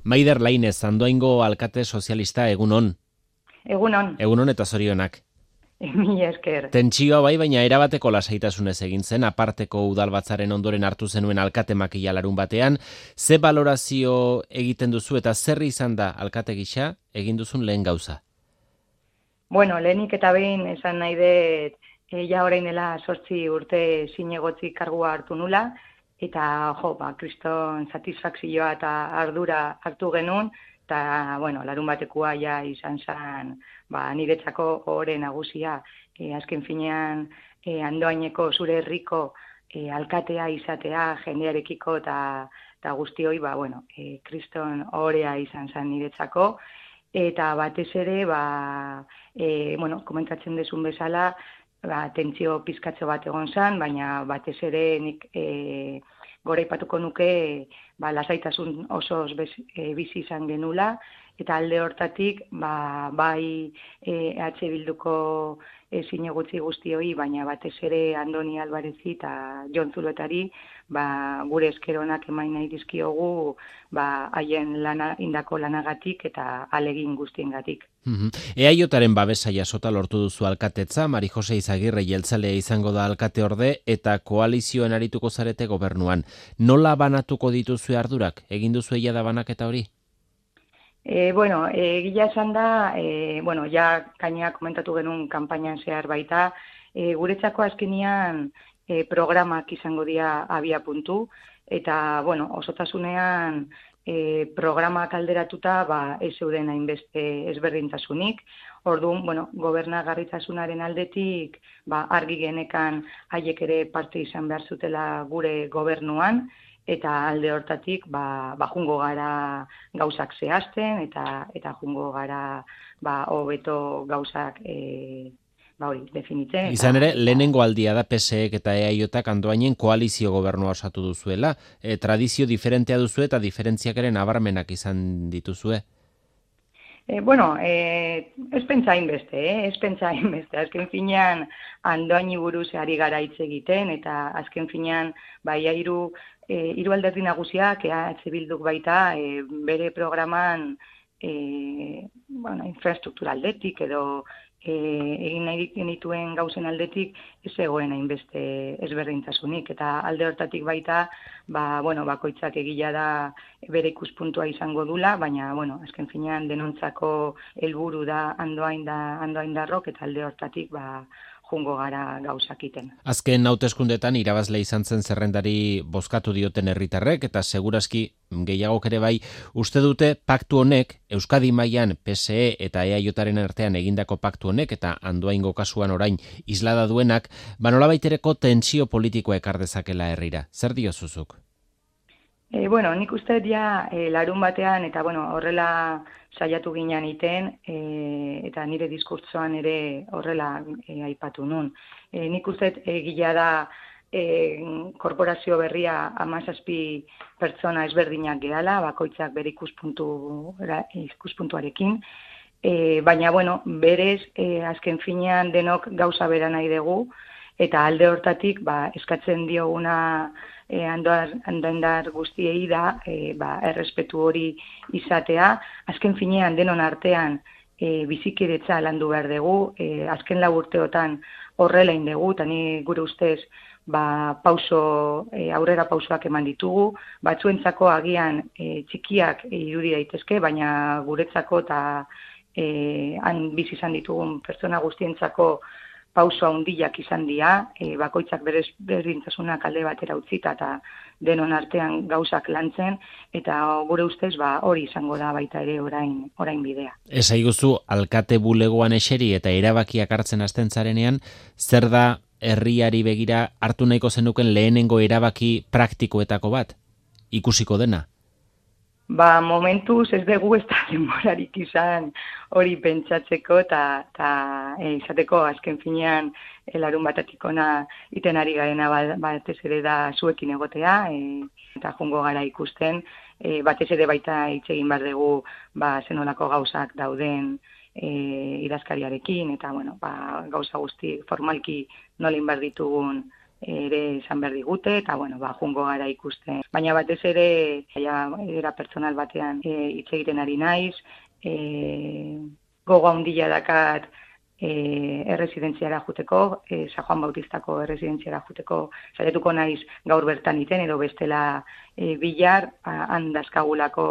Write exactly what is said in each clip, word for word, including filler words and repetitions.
Maider Lainez, Andoaingo alkate sozialista, egunon. Egunon, Egunon eta zorionak. mila esker. Tentsioa bai, baina erabateko lasaitasunez egin zen, aparteko udalbatzaren ondoren hartu zenuen alkate makila larun batean. Ze balorazio egiten duzu eta zer izan da alkate gisa egin duzun lehen gauza? Bueno, lehenik eta behin esan nahi dut, e, ja orain dela sortzi urte zinegotzi kargua hartu nula, eta jo, ba, kriston satisfakzioa eta ardura hartu genuen, eta, bueno, larun batekoa ja izan zen, ba, niretzako ohore nagusia, e, azken finean, e, Andoaineko zure herriko e, alkatea izatea, jendearekiko eta, eta guztioi, ba, bueno, e, kriston ohorea izan zen niretzako, eta batez ere, ba, e, bueno, komentatzen dezun bezala, ba, tentsio pizkatxo bat egon zen, baina batez ere nik e, goraipatuko nuke ba, lasaitasun osoz bez, e, bizi izan genula, eta alde hortatik ba, bai e, E H Bilduko e, zinegutzi guztioi, baina batez ere Andoni Albarezi eta Jon Zuloetari ba, gure eskeronak emain nahi dizkiogu ba, haien lana, indako lanagatik eta alegin guztiengatik. Eaiotaren babesa jasota lortu duzu alkatetza, Mari Jose Izagirre jeltzalea izango da alkate orde eta koalizioan arituko zarete gobernuan. Nola banatuko dituzu ardurak? Egin duzu egia da banaketa hori? E, bueno, egia esan da, e, bueno, ja kaina komentatu genuen kanpainan zehar baita, e, guretzako azkenian e, programak izango dira abia puntu, eta, bueno, osotasunean e, programak alderatuta, ba, ez zeuden hainbeste ezberdintasunik. Orduan, bueno, gobernagarritasunaren aldetik, ba, argi genekan haiek ere parte izan behar zutela gure gobernuan, eta alde hortatik ba, ba jungo gara gauzak zehazten eta eta jungo gara ba hobeto gauzak e, ba hori definitzen. Izan ere, lehenengo aldia da P S Ek eta Eaiotak Andoainen koalizio gobernua osatu duzuela. E, tradizio diferentea duzu eta diferentziak ere nabarmenak izan dituzue. E, bueno, e, ez pentsa hainbeste, eh? ez pentsa hainbeste. Azken finean, Andoaini buruz ari gara hitz egiten, eta azken finean, bai, hiru e, hiru alderdi nagusiak, E H Bilduk baita, e, bere programan e, bueno, infrastruktura aldetik, edo e, egin nahi genituen gauzen aldetik, ez egoen hainbeste ezberdintasunik, eta alde hortatik baita, ba, bueno, bakoitzak egila da bere ikuspuntua izango dula, baina, bueno, azken finean denontzako helburu da Andoain da Andoaindarrok, eta alde hortatik, ba, jungo gara gauzakiten. Azken hauteskundetan irabazle izan zen zerrendari bozkatu dioten herritarrek eta segurazki gehiagok ere bai uste dute paktu honek Euskadi mailan P S E eta Eaiotaren artean egindako paktu honek eta Andoaingo kasuan orain islada duenak, ba nolabaitereko tentsio politikoa ekar dezakela herrira. Zer diozuzuk? E, bueno, nik uste ja e, larun batean, eta bueno, horrela saiatu ginean iten, e, eta nire diskurtsoan ere horrela e, aipatu nun. E, nik uste egila da e, korporazio berria hamazazpi pertsona ezberdinak gehala, bakoitzak bere ikuspuntu, ikuspuntuarekin, e, baina, bueno, berez, e, azken finean denok gauza bera nahi dugu, eta alde hortatik ba, eskatzen dioguna e, andoaindar guztiei da e, ba, errespetu hori izatea. Azken finean denon artean e, bizikidetza landu behar dugu, e, azken lau urteotan horrela indegu, eta ni gure ustez ba, pauso, e, aurrera pausoak eman ditugu, batzuentzako agian e, txikiak e, irudi daitezke, baina guretzako eta e, han bizi izan ditugun pertsona guztientzako pauso handiak izan dira, e, bakoitzak berez berdintasunak alde batera utzita eta denon artean gauzak lantzen, eta gure ustez ba, hori izango da baita ere orain, orain bidea. Esaiguzu, alkate bulegoan eseri eta erabakiak hartzen hasten zarenean, zer da herriari begira hartu nahiko zenuken lehenengo erabaki praktikoetako bat? Ikusiko dena? Ba, momentuz ez dugu ez da denborarik izan hori pentsatzeko eta e, izateko azken finean e, larun batatik ona iten ari garena batez ere da zuekin egotea e, eta jungo gara ikusten, e, batez ere baita hitz egin behar dugu ba, zenolako gauzak dauden e, idazkariarekin eta bueno, ba, gauza guzti formalki nolin behar ditugun ere esan behar digute, eta bueno, ba, jungo gara ikusten. Baina batez ere, ja, era personal batean e, hitz egiten ari naiz, e, gogo handia dakat e, erresidentziara juteko, e, San Juan Bautistako erresidentziara juteko, saiatuko naiz gaur bertan iten, edo bestela e, bilar, han dazkagulako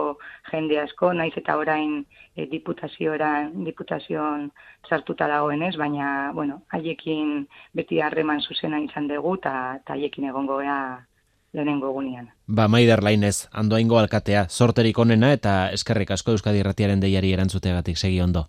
jende asko, naiz eta orain e, diputazioan, diputazioan sartuta dagoenez, baina, bueno, haiekin beti harreman zuzena izan dugu, eta haiekin egongo gea lehenengo egunean. Ba, Maider Lainez, Andoaingo alkatea, sorterik onena eta eskerrik asko Euskadi Irratiaren deiari erantzuteagatik, segi ondo.